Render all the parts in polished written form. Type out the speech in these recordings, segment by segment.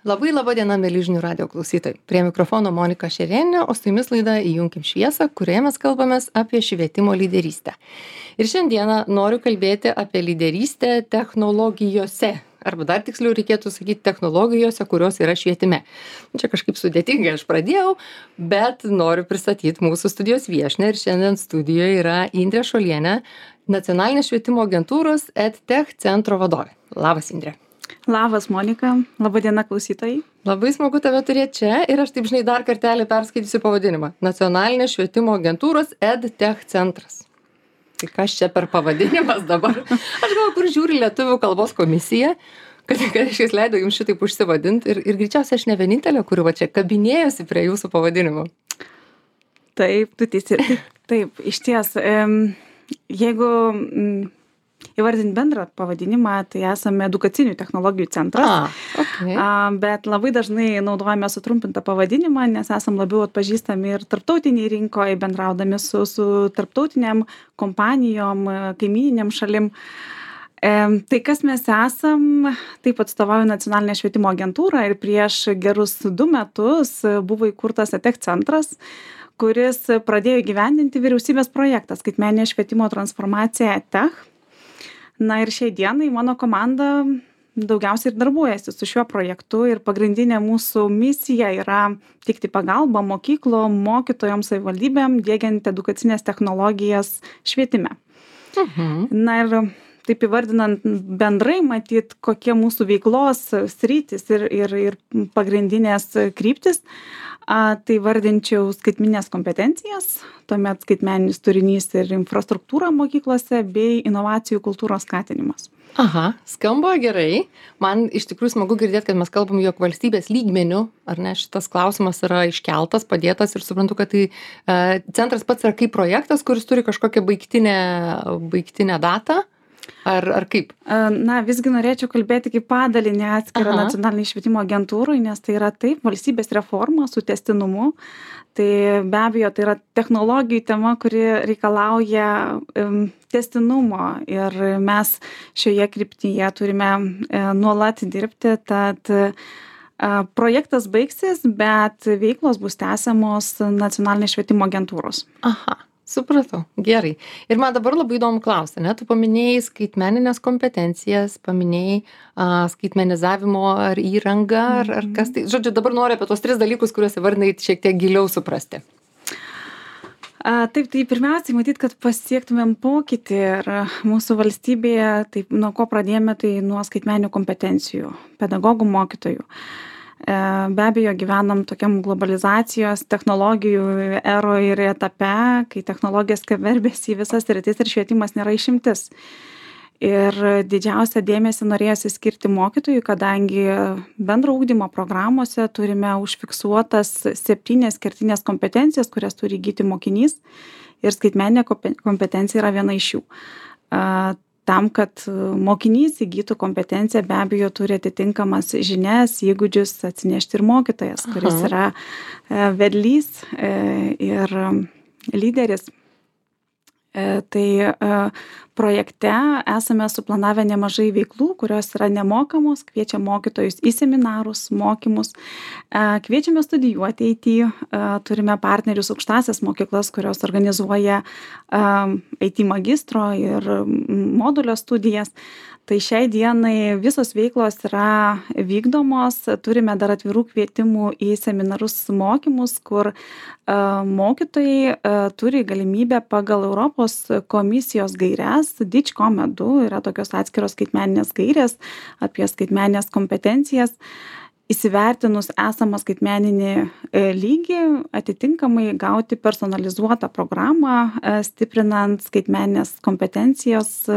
Laba diena, mėly žinių radio klausytojai. Prie mikrofono Monika Šerėnė, o su jumis laida Įjunkim šviesą, kurioje mes kalbamės apie švietimo lyderystę. Ir šiandieną noriu kalbėti apie lyderystę technologijose. Arba dar tiksliau reikėtų sakyti technologijose, kurios yra švietime. Čia kažkaip sudėtingai aš pradėjau, bet noriu pristatyti mūsų studijos viešnią. Ir šiandien studijoje yra Indrė Šuolienė, Nacionalinės švietimo agentūros EdTech centro vadovė. Labas, Indrė. Labas, Monika. Labadiena, klausytojai. Labai smagu tave turėti čia ir aš taip žinai dar kartelį perskaitysiu pavadinimą. Nacionalinės švietimo agentūros EdTech centras. Tai kas čia per pavadinimas dabar? Aš galvoju, kur žiūri Lietuvių kalbos komisija, kad aš jais leidau jums šitaip užsivadinti ir greičiausiai aš ne vienintelė, kuri va čia kabinėjosi prie jūsų pavadinimo. Taip, tu teisi. Taip, iš ties, jeigu įvardint bendrą pavadinimą, tai esame edukacinių technologijų centras, Okay. Bet labai dažnai naudojame sutrumpintą pavadinimą, nes esam labiau atpažįstami ir tarptautiniai rinkoje, bendraudami su tarptautiniam kompanijom, kaimyniniam šalim. Tai kas mes esam, taip atstovauju Nacionalinę švietimo agentūrą ir prieš gerus 2 metus buvo įkurtas EdTech centras, kuris pradėjo įgyvendinti vyriausybės projektą skaitmeninė švietimo transformacija EdTech. Na ir šiai dienai mano komanda daugiausiai ir darbuojasi su šiuo projektu ir pagrindinė mūsų misija yra teikti pagalbą mokyklom, mokytojams, savivaldybėm, diegiant edukacinės technologijas švietime. Na ir taip įvardinant bendrai matyt, kokie mūsų veiklos sritys ir pagrindinės kryptis, tai vardinčiau skaitmeninės kompetencijas, tuomet skaitmeninis turinys ir infrastruktūra mokyklose bei inovacijų kultūros skatinimas. Aha, skamba gerai. Man iš tikrųjų smagu girdėti, kad mes kalbam, jog valstybės lygmenių, ar ne, šitas klausimas yra iškeltas, padėtas ir suprantu, kad tai centras pats yra kaip projektas, kuris turi kažkokią baigtinę datą. Ar kaip? Na, visgi norėčiau kalbėti kaip padalinį atskirą Nacionalinį švietimo agentūrai, nes tai yra taip, valstybės reforma su tęstinumu. Tai be abejo, tai yra technologijų tema, kuri reikalauja tęstinumo ir mes šioje kryptyje turime nuolat dirbti, tad projektas baigsis, bet veiklos bus tęsiamos Nacionalinės švietimo agentūros. Aha. Supratau, gerai. Ir man dabar labai įdomu klausti, ne? Tu paminėjai skaitmeninės kompetencijas, paminėjai skaitmenizavimo ar įrangą, ar kas tai. Žodžiu, dabar noriu apie tos 3 dalykus, kuriuos įvardinai šiek tiek giliau suprasti. Taip, tai pirmiausiai matyt, kad pasiektumėm pokytį ir mūsų valstybėje, taip, nuo ko pradėjome, tai nuo skaitmeninių kompetencijų, pedagogų, mokytojų. Be abejo, gyvenam tokiam globalizacijos technologijų eroje ir etape, kai technologijas skverbėsi į visas sritis ir švietimas nėra išimtis. Ir didžiausią dėmesį norėjosi skirti mokytojui, kadangi bendro ugdymo programuose turime užfiksuotas 7 kertinės kompetencijas, kurias turi įgyti mokinys ir skaitmeninė kompetencija yra viena iš jų. Tam, kad mokinys įgytų kompetenciją, be abejo, turi atitinkamas žinias, įgūdžius atsinešti ir mokytojas, kuris yra vedlys ir lyderis. Tai projekte esame suplanavę nemažai veiklų, kurios yra nemokamos, kviečiam mokytojus į seminarus, mokymus, kviečiame studijuoti IT, turime partnerius aukštąsias mokyklas, kurios organizuoja IT magistro ir modulio studijas. Tai šiai dienai visos veiklos yra vykdomos, turime dar atvirų kvietimų į seminarus mokymus, kur mokytojai turi galimybę pagal Europos komisijos gaires, DIGCOM2 yra tokios atskiros skaitmeninės gairės apie skaitmeninės kompetencijas, įsivertinus esamą skaitmeninį lygį, atitinkamai gauti personalizuotą programą, stiprinant skaitmeninės kompetencijos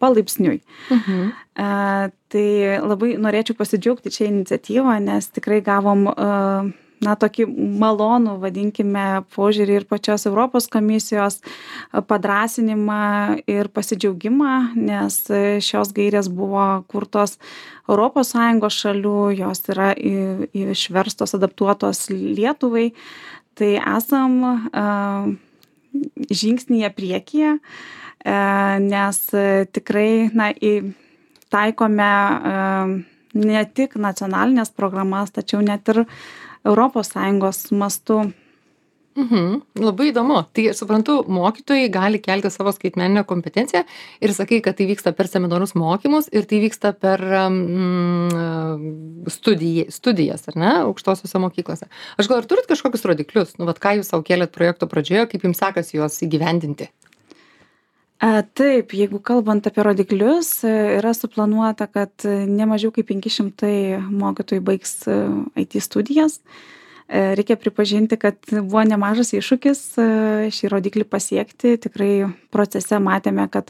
palaipsniui. Tai labai norėčiau pasidžiaugti čia iniciatyvą, nes tikrai gavom tokį malonų, vadinkime, požiūrį ir pačios Europos komisijos padrąsinimą ir pasidžiaugimą, nes šios gairės buvo kurtos ES šalių, jos yra išverstos, adaptuotos Lietuvai. Tai esam žingsnyje priekyje, nes tikrai taikome ne tik nacionalinės programas, tačiau net ir ES mastu. Labai įdomu. Tai suprantu, mokytojai gali kelti savo skaitmeninę kompetenciją ir sakai, kad tai vyksta per seminarus mokymus ir tai vyksta per studijas, ar ne, aukštosiuose mokyklose. Aš gal ar turit kažkokius rodiklius? Nu, vat ką jūs savo kėlėt projekto pradžioje, kaip jums sekasi juos įgyvendinti? Taip, jeigu kalbant apie rodiklius, yra suplanuota, kad ne mažiau kaip 500 mokytojų baigs IT studijas. Reikia pripažinti, kad buvo nemažas iššūkis šį rodiklį pasiekti. Tikrai procese matėme, kad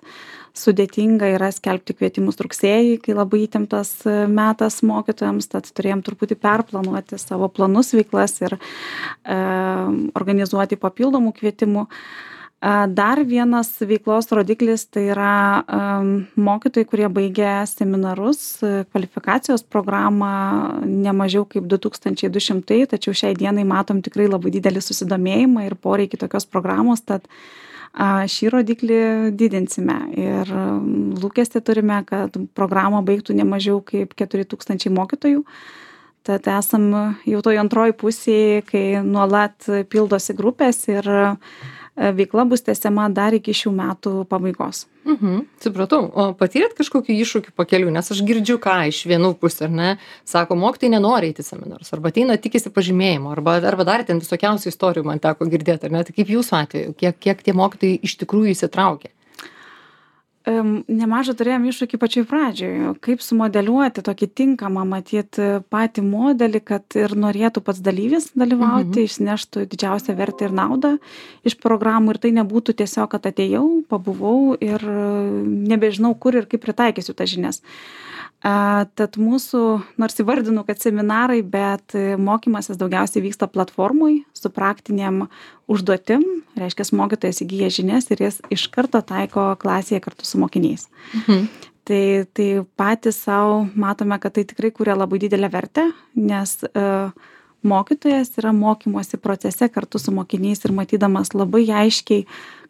sudėtinga yra skelbti kvietimus rugsėjį, kai labai įtemptas metas mokytojams, tad turėjom truputį perplanuoti savo planus, veiklas ir organizuoti papildomų kvietimų. Dar vienas veiklos rodiklis tai yra mokytojai, kurie baigė seminarus, kvalifikacijos programą ne mažiau kaip 2200, tačiau šiai dienai matom tikrai labai didelį susidomėjimą ir poreikį tokios programos, tad šį rodiklį didinsime ir lūkestį turime, kad programą baigtų ne mažiau kaip 4000 mokytojų. Tad esam jau toj antroji pusėje, kai nuolat pildosi grupės ir veikla bus tęsiama dar iki šių metų pabaigos. Supratau. O patyrėt kažkokių iššūkių pakelių? Nes aš girdžiu, ką iš vienų pusės, ar ne? Sako, mokytojai nenori eiti seminarus, arba ateina tikisi pažymėjimo, arba dar ten visokiausių istorijų man teko girdėti, ar ne? Tai kaip jūsų atveju, kiek tie mokytojai iš tikrųjų įsitraukia? Nemažą turėjom iššūkį pačioj pradžioj, kaip sumodeliuoti tokį tinkamą, matyt, patį modelį, kad ir norėtų pats dalyvis dalyvauti, išneštų didžiausią vertę ir naudą iš programų ir tai nebūtų tiesiog, kad atėjau, pabuvau ir nebežinau, kur ir kaip pritaikysiu tas žinias. Tad mūsų, nors įvardinu, kad seminarai, bet mokymasis daugiausiai vyksta platformoj su praktiniam užduotim, reiškia, mokytojas įgyja žinias ir jas iš karto taiko klasėje kartu su mokiniais. Tai patys savo matome, kad tai tikrai kuria labai didelę vertę, nes mokytojas yra mokymosi procese kartu su mokiniais ir matydamas labai aiškiai,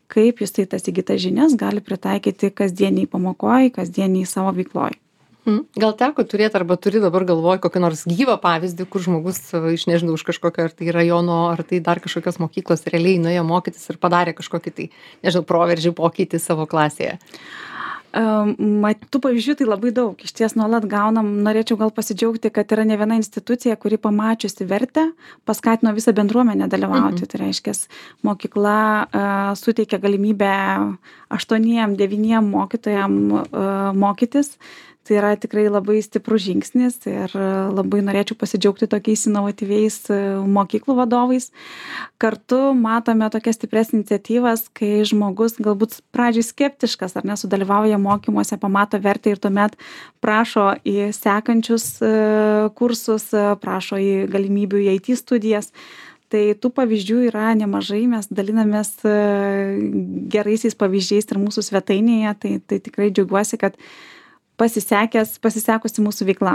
kaip jis tai tas įgytas žinias gali pritaikyti kasdieniai pamokoj, kasdieniai savo veikloj. Gal teko turėti arba turi dabar galvoj kokį nors gyvą pavyzdį, kur žmogus iš nežinau, už kažkokio ar tai rajono, ar tai dar kažkokios mokyklos realiai nuėjo mokytis ir padarė kažkokį tai, nežinau, proveržį pokytį savo klasėje? Tų pavyzdžių tai labai daug. Iš ties nuolat gaunam, norėčiau gal pasidžiaugti, kad yra ne viena institucija, kuri pamačiusi vertę, paskatino visą bendruomenę dalyvauti. Tai reiškia, mokykla suteikia galimybę 8-9 mokytojam mokytis. Tai yra tikrai labai stiprus žingsnis ir labai norėčiau pasidžiaugti tokiais inovatyviais mokyklų vadovais. Kartu matome tokias stipres iniciatyvas, kai žmogus galbūt pradžiai skeptiškas ar nesudalyvauja mokymuose, pamato vertę ir tuomet prašo į sekančius kursus, prašo į galimybių į IT studijas. Tai tų pavyzdžių yra nemažai, mes dalinamės geraisiais pavyzdžiais ir mūsų svetainėje, tai tikrai džiaugiuosi, kad pasisekusi mūsų veikla.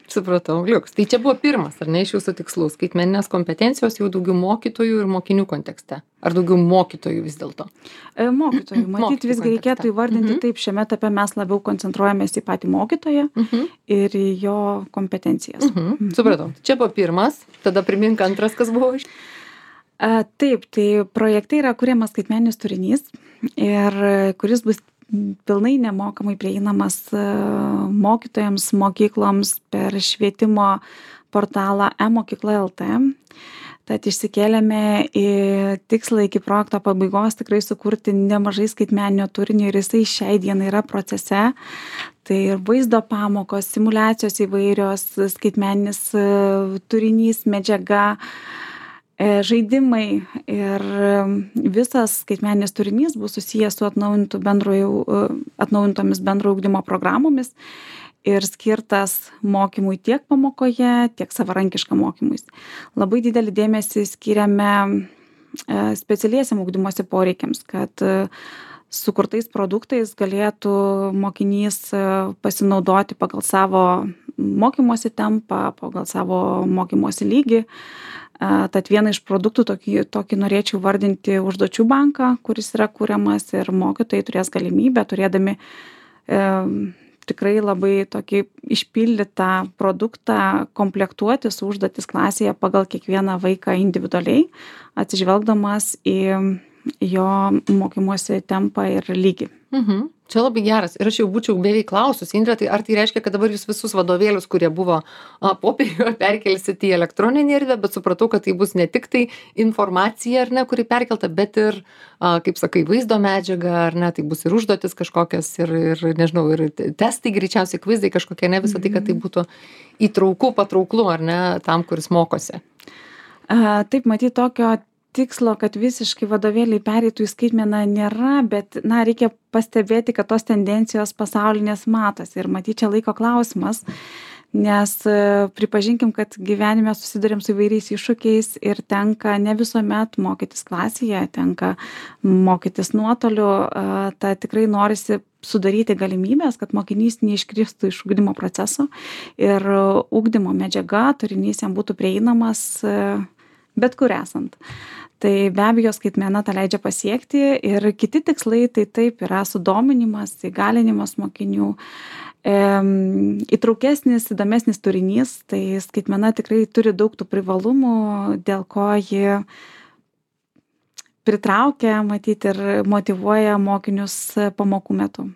Supratau, liuks. Tai čia buvo pirmas, ar ne, iš jūsų tikslų, skaitmeninės kompetencijos jau daugiau mokytojų ir mokinių kontekste? Ar daugiau mokytojų vis dėlto? Mokytojų. Matyt, visgi reikėtų įvardinti taip, šiame etape mes labiau koncentruojamės į patį mokytoją ir į jo kompetencijas. Supratau. Čia buvo pirmas, tada primink antras, kas buvo iš. Taip, tai projekte yra kuriamas skaitmeninis turinys ir kuris bus pilnai nemokamai prieinamas mokytojams, mokykloms per švietimo portalą e-mokykla.lt. Tad išsikėlėme į tikslą iki projekto pabaigos tikrai sukurti nemažai skaitmeninio turinio ir jisai šiai dienai yra procese. Tai ir vaizdo pamokos, simulacijos įvairios, skaitmeninis turinys, medžiaga, žaidimai ir visas skaitmeninis turinys bus susijęs su atnaujintomis bendrojo ugdymo programomis ir skirtas mokymui tiek pamokoje, tiek savarankiškam mokymuisi. Labai didelį dėmesį skiriame specialiesiam ugdymosi poreikiams, kad sukurtais produktais galėtų mokinys pasinaudoti pagal savo mokymosi tempą, pagal savo mokymosi lygį. Tad vieną iš produktų tokį norėčiau vardinti užduočių banką, kuris yra kuriamas ir mokytojai turės galimybę, turėdami tikrai labai tokį išpildytą produktą komplektuoti su užduotis klasėje pagal kiekvieną vaiką individualiai, atsižvelgdamas į jo mokymosi tempą ir lygį. Čia labai geras. Ir aš jau būčiau beveik klausus, Indre, tai ar tai reiškia, kad dabar jūs visus vadovėlius, kurie buvo popieriuje, perkelsit į elektroninį erdvę, bet supratau, kad tai bus ne tik tai informacija, ar ne, kuri perkelta, bet ir, kaip sakai, vaizdo medžiaga, ar ne, tai bus ir užduotis kažkokios, ir nežinau, ir testai greičiausiai, kvizai kažkokie, ne visą tai, kad tai būtų įtrauku, patrauklu, ar ne, tam, kuris mokosi. Taip, matyt, tokio tikslo, kad visiškai vadovėliai pereitų į skaitmeną nėra, bet, reikia pastebėti, kad tos tendencijos pasaulinės matosi ir matyt, čia laiko klausimas, nes pripažinkim, kad gyvenime susidurėm su įvairiais iššūkiais ir tenka ne visuomet mokytis klasėje, tenka mokytis nuotoliu, tai tikrai norisi sudaryti galimybės, kad mokinys neiškristų iš ugdymo proceso ir ugdymo medžiaga, turinys jam būtų prieinamas bet kur esant. Tai be abejo skaitmena tą leidžia pasiekti ir kiti tikslai tai taip yra sudominimas, įgalinimas mokinių, įtraukesnis, įdomesnis turinys, tai skaitmena tikrai turi daug tų privalumų, dėl ko ji pritraukia, matyti ir motyvuoja mokinius pamokų metu.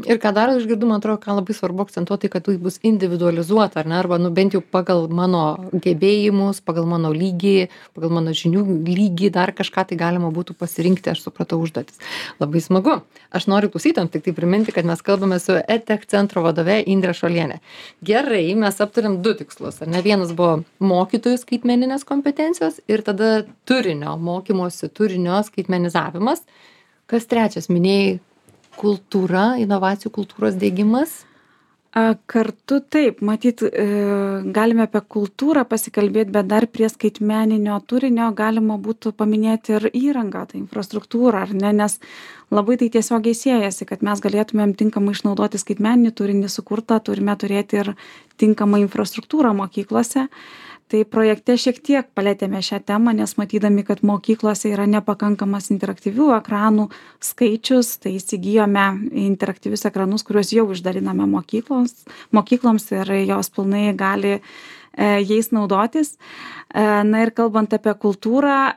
Ir ką dar išgirdu, man atrodo, ką labai svarbu akcentuoti, kad tai bus individualizuota, ar ne, arba bent jau pagal mano gebėjimus, pagal mano lygį, pagal mano žinių lygį, dar kažką tai galima būtų pasirinkti, aš supratau užduotis. Labai smagu. Aš noriu klausytojams tik tai priminti, kad mes kalbame su EdTech centro vadove Indre Šuoliene. Gerai, mes aptarėm 2 tikslus, ar ne? Vienas buvo mokytojų skaitmeninės kompetencijos ir tada turinio, mokymosi turinio skaitmenizavimas. Kas trečias, minėjai kultūra, inovacijų kultūros diegimas? Kartu taip, matyt, galime apie kultūrą pasikalbėti, bet dar prie skaitmeninio turinio galima būtų paminėti ir įrangą, tai infrastruktūrą, ar ne, nes labai tai tiesiogiai siejasi, kad mes galėtumėm tinkamai išnaudoti skaitmeninį turinį sukurtą, turime turėti ir tinkamą infrastruktūrą mokyklose. Tai projekte šiek tiek palėtėme šią temą, nes matydami, kad mokyklose yra nepakankamas interaktyvių ekranų skaičius, tai įsigijome interaktyvius ekranus, kuriuos jau išdaliname mokykloms ir jos pilnai gali jais naudotis. Na ir kalbant apie kultūrą,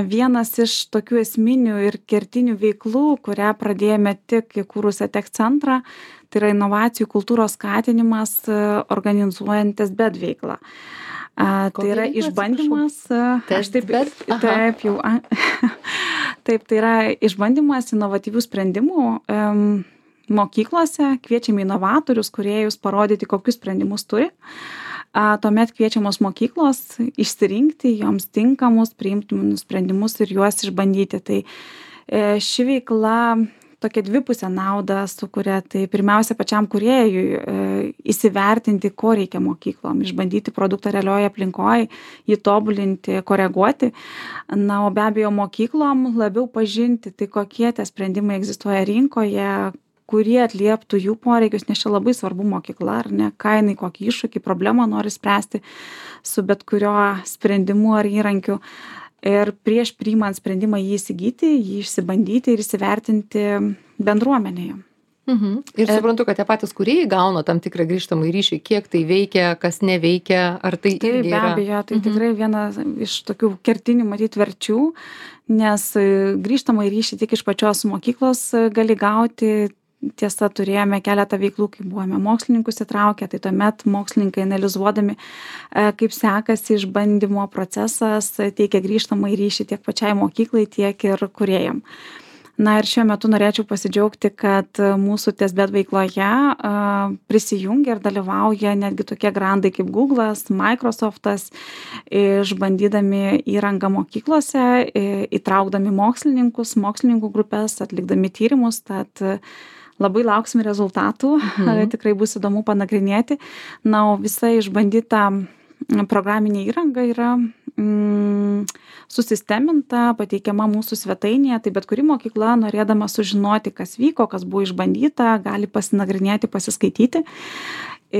vienas iš tokių esminių ir kertinių veiklų, kurią pradėjome tik įkūrus EdTech centrą, tai yra inovacijų kultūros skatinimas organizuojant TestBed veiklą. Tai yra išbandymas. Taip, tai yra išbandymas inovatyvių sprendimų mokyklose, kviečiame inovatorius, kūrėjus parodyti, kokius sprendimus turi. Tuomet kviečiamos mokyklos išsirinkti joms tinkamus, priimtinus sprendimus ir juos išbandyti. Tai ši veikla tokia dvipusę naudą sukuria, tai pirmiausia pačiam kūrėjui įsivertinti, ko reikia mokyklom, išbandyti produktą realioje aplinkoje, jį tobulinti, koreguoti. O be abejo mokyklom labiau pažinti, tai kokie tie sprendimai egzistuoja rinkoje, kurie atlieptų jų poreikius, nes čia labai svarbu mokykla, ar ne, ką jinai, kokį iššūkį, problemą nori spręsti su bet kurio sprendimu ar įrankiu. Ir prieš priimant sprendimą jį įsigyti, jį išsibandyti ir įsivertinti bendruomenėje. Ir suprantu, kad tie patys kūrėjai gauna tam tikrą grįžtamą ryšį, kiek tai veikia, kas neveikia, ar tai irgi yra. Be abejo, tai tikrai viena iš tokių kertinių matyti verčių, nes grįžtamą ryšį tik iš pačios mokyklos gali gauti. Tiesa, turėjome keletą veiklų, kai buvome mokslininkus įtraukę, tai tuomet mokslininkai analizuodami, kaip sekasi išbandymo procesas, teikia grįžtamą ryšį tiek pačiai mokyklai, tiek ir kūrėjam. Ir šiuo metu norėčiau pasidžiaugti, kad mūsų TestBed veikloje prisijungia ir dalyvauja netgi tokie grandai kaip Google'as, Microsoft'as, išbandydami įrangą mokyklose, įtraukdami mokslininkų grupės, atlikdami tyrimus, tad labai lauksime rezultatų, tikrai bus įdomu panagrinėti. O visa išbandyta programinė įranga yra susisteminta, pateikiama mūsų svetainėje, tai bet kuri mokykla, norėdama sužinoti, kas vyko, kas buvo išbandyta, gali pasinagrinėti, pasiskaityti.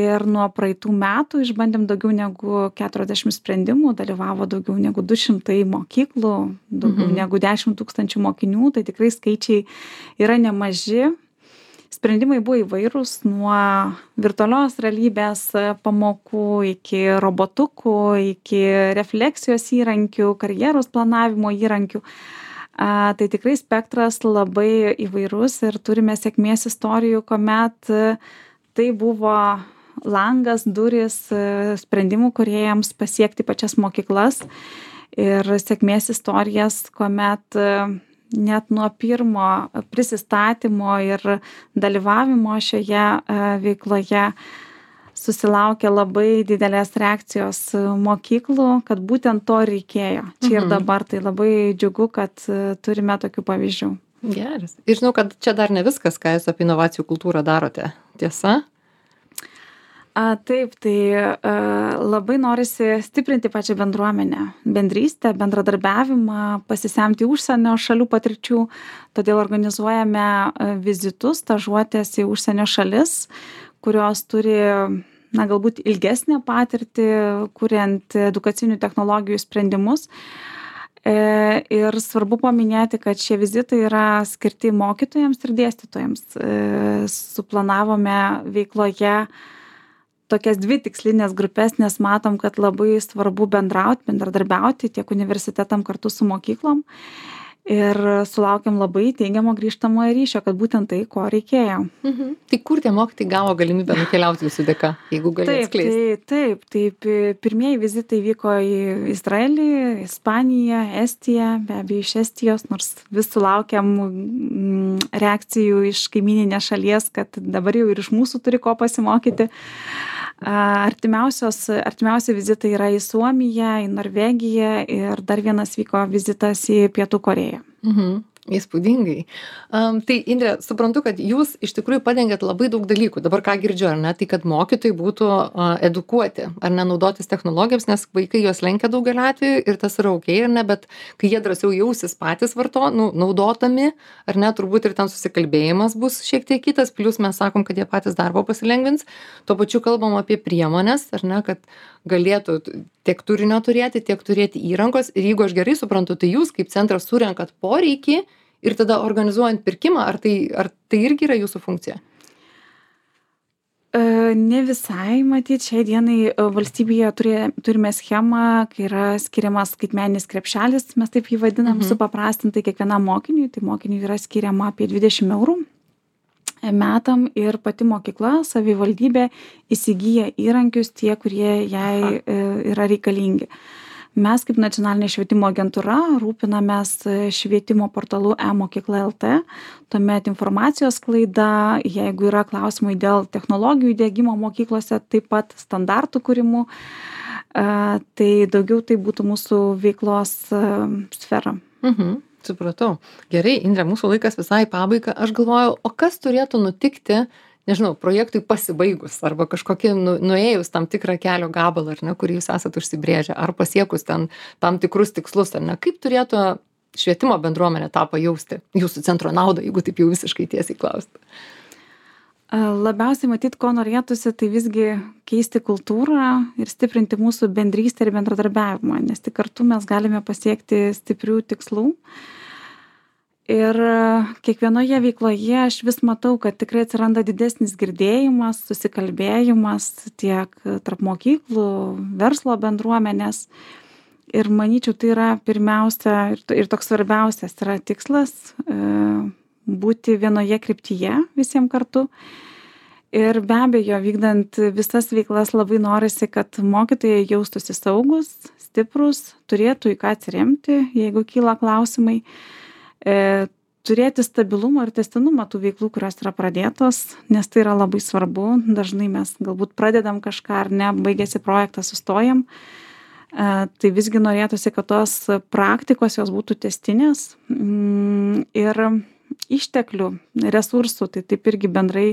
Ir nuo praeitų metų išbandėm daugiau negu 40 sprendimų, dalyvavo daugiau negu 200 mokyklų, daugiau negu 10 000 mokinių, tai tikrai skaičiai yra nemaži. Sprendimai buvo įvairūs nuo virtualios realybės pamokų iki robotukų, iki refleksijos įrankių, karjeros planavimo įrankių. Tai tikrai spektras labai įvairus ir turime sėkmės istorijų, kuomet tai buvo langas, durys sprendimų kūrėjams pasiekti pačias mokyklas ir sėkmės istorijas, kuomet net nuo pirmo prisistatymo ir dalyvavimo šioje veikloje susilaukė labai didelės reakcijos mokyklų, kad būtent to reikėjo. Čia ir dabar tai labai džiugu, kad turime tokių pavyzdžių. Geras. Ir žinau, kad čia dar ne viskas, ką jūs apie inovacijų kultūrą darote. Tiesa? Taip, tai labai norisi stiprinti pačią bendruomenę, bendrystę, bendradarbiavimą, pasisemti užsienio šalių patirčių, todėl organizuojame vizitus, stažuotės į užsienio šalis, kurios turi, galbūt ilgesnę patirtį, kuriant edukacinių technologijų sprendimus. Ir svarbu paminėti, kad šie vizitai yra skirti mokytojams ir dėstytojams. Suplanavome veikloje tokias 2 tikslinės grupės, nes matom, kad labai svarbu bendradarbiauti tiek universitetam kartu su mokyklom. Ir sulaukėm labai teigiamo grįžtamojo ryšio, kad būtent tai, ko reikėjo. Tai kur tie mokytojai gavo galimybę nukeliauti jūsų dėka, jeigu gali atskleisti? Taip. Pirmieji vizitai vyko į Izraelį, Ispaniją, Estiją, be abejo iš Estijos, nors vis sulaukiam reakcijų iš kaimyninės šalies, kad dabar jau ir iš mūsų turi ko pasimokyti. Artimiausi vizitai yra į Suomiją, į Norvegiją ir dar vienas vyko vizitas į Pietų Korėją. Įspūdingai. Tai Indre, suprantu, kad jūs iš tikrųjų padengiat labai daug dalykų. Dabar ką girdžiu, ar ne, tai kad mokytojai būtų edukuoti, ar ne naudotis technologijams, nes vaikai juos lenkia daugelį atvejų ir tas yra ok, ar ne, bet kai jie drąsiau jausis patys naudotami, ar ne, turbūt ir ten susikalbėjimas bus šiek tiek kitas, plius mes sakom, kad jie patys darbo pasilengvins. Tuo pačiu kalbam apie priemonės, ar ne, kad galėtų tiek turinio turėti, tiek turėti įrankos. Ir jeigu aš gerai suprantu, tai jūs kaip centras surenkat poreikį ir tada organizuojant pirkimą, ar tai irgi yra jūsų funkcija? Ne visai, matyt, šiai dienai valstybėje turime schemą, kai yra skiriamas skaitmeninis krepšelis, mes taip jį vadinam, supaprastintai kiekvienam mokiniui, tai mokiniui yra skiriama apie 20 eurų metam ir pati mokykla, savivaldybė įsigyja įrankius tie, kurie jai yra reikalingi. Mes kaip nacionalinė švietimo agentūra rūpinamės švietimo portalu e-mokykla LT, tuomet informacijos sklaida, jeigu yra klausimai dėl technologijų įdiegimo mokyklose, taip pat standartų kūrimų, tai daugiau tai būtų mūsų veiklos sfera. Supratau. Gerai, Indre, mūsų laikas visai pabaiga. Aš galvoju, o kas turėtų nutikti, nežinau, projektui pasibaigus arba kažkokie nuėjus tam tikrą kelio gabalą, ar ne, kurį jūs esat užsibrėžę, ar pasiekus ten tam tikrus tikslus, ar ne, kaip turėtų švietimo bendruomenė tą pajausti jūsų centro naudą, jeigu taip jau visiškai tiesiai klausti? Labiausiai matyt, ko norėtųsi, tai visgi keisti kultūrą ir stiprinti mūsų bendrystę ir bendradarbiavimą, nes tik kartu mes galime pasiekti stiprių tikslų. Ir kiekvienoje veikloje aš vis matau, kad tikrai atsiranda didesnis girdėjimas, susikalbėjimas tiek tarp mokyklų, verslo bendruomenės. Ir manyčiau, tai yra pirmiausia ir toks svarbiausias yra tikslas būti vienoje kryptyje visiems kartu. Ir be abejo, vykdant visas veiklas labai norisi, kad mokytojai jaustųsi saugus, stiprus, turėtų į ką atsiremti, jeigu kyla klausimai. Turėti stabilumą ir tęstinumą tų veiklų, kurios yra pradėtos, nes tai yra labai svarbu. Dažnai mes galbūt pradedam kažką ar ne, baigėsi projektas, sustojam. Tai visgi norėtųsi, kad tos praktikos jos būtų tęstinės ir išteklių, resursų, tai taip irgi bendrai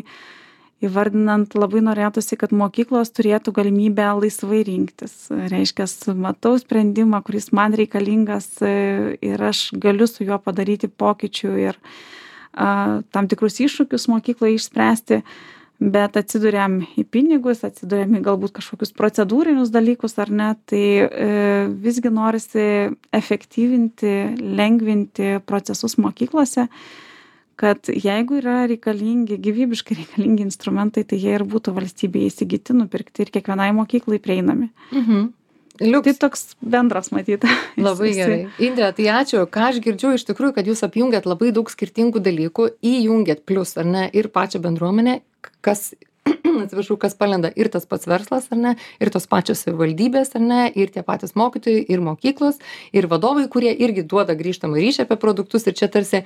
įvardinant labai norėtųsi, kad mokyklos turėtų galimybę laisvai rinktis. Reiškia, matau sprendimą, kuris man reikalingas ir aš galiu su juo padaryti pokyčių ir tam tikrus iššūkius mokykloje išspręsti, bet atsiduriam į pinigus, atsiduriam į galbūt kažkokius procedūrinius dalykus ar ne, tai visgi norisi efektyvinti, lengvinti procesus mokyklose, kad jeigu yra reikalingi, gyvybiškai reikalingi instrumentai, tai jie ir būtų valstybėje įsigyti, nupirkti ir kiekvienai mokyklai prieinami. Liuks. Tai toks bendras matyti. Labai gerai. Indre, tai ačiū. Ką aš girdžiu iš tikrųjų, kad jūs apjungiat labai daug skirtingų dalykų, įjungiat plius, ar ne, ir pačią bendruomenę, kas, atsiprašau, kas palenda ir tas pats verslas, ar ne, ir tos pačios savivaldybės, ar ne, ir tie patys mokytojai, ir mokyklos, ir vadovai, kurie irgi duoda grįžtamą ryšį apie produktus, ir čia tarsi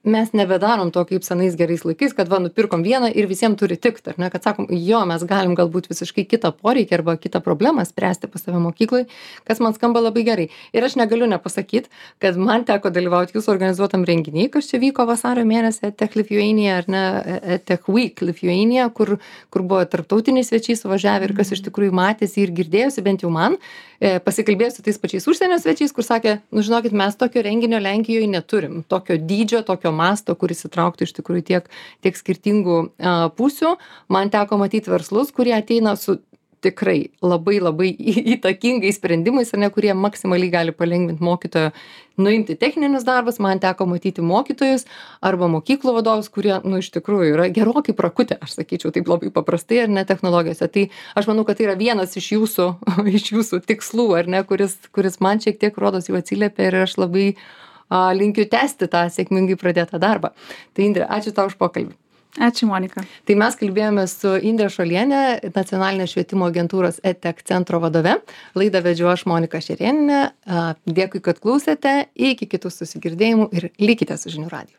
mes nebedarom to kaip senais gerais laikais, kad va, nupirkom vieną ir visiems turi tikt, ar ne, kad sakom, jo, mes galim galbūt visiškai kitą poreikį arba kitą problemą spręsti pas save mokyklai, kas man skamba labai gerai. Ir aš negaliu nepasakyti, kad man teko dalyvauti jūsų organizuotam renginiai, kas čia vyko vasario mėnesį, Tech Lithuania, ar ne, Tech Week Lithuania, kur buvo tarptautiniai svečiai suvažiavę ir kas iš tikrųjų matėsi ir girdėjosi, bent jau man, pasikalbėjau su tais pačiais užsienio svečiais, kur sakė, nu žinokit, mes tokio renginio Lenkijoje neturim, tokio dydžio, tokio masto, kuris įtrauktų iš tikrųjų tiek skirtingų pusių. Man teko matyti verslus, kurie ateina su tikrai labai labai įtakingais sprendimais, ar ne, kurie maksimaliai gali palengvinti mokytojo nuimti techninius darbus. Man teko matyti mokytojus arba mokyklų vadovus, kurie, nu, iš tikrųjų yra gerokai prakutę, aš sakyčiau, taip labai paprastai, ar ne, technologijose. Tai aš manau, kad tai yra vienas iš jūsų tikslų, ar ne, kuris man šiek tiek rodos jau atsiliepia ir aš labai linkiu tęsti tą sėkmingai pradėtą darbą. Tai Indre, ačiū tau už pokalbį. Ačiū, Monika. Tai mes kalbėjome su Indre Šolienė, Nacionalinės švietimo agentūros EdTech centro vadove. Laidą vedžiau aš, Monika Šerėnienė. Dėkui, kad klausėte. Iki kitų susigirdėjimų ir likite su žinių radiju.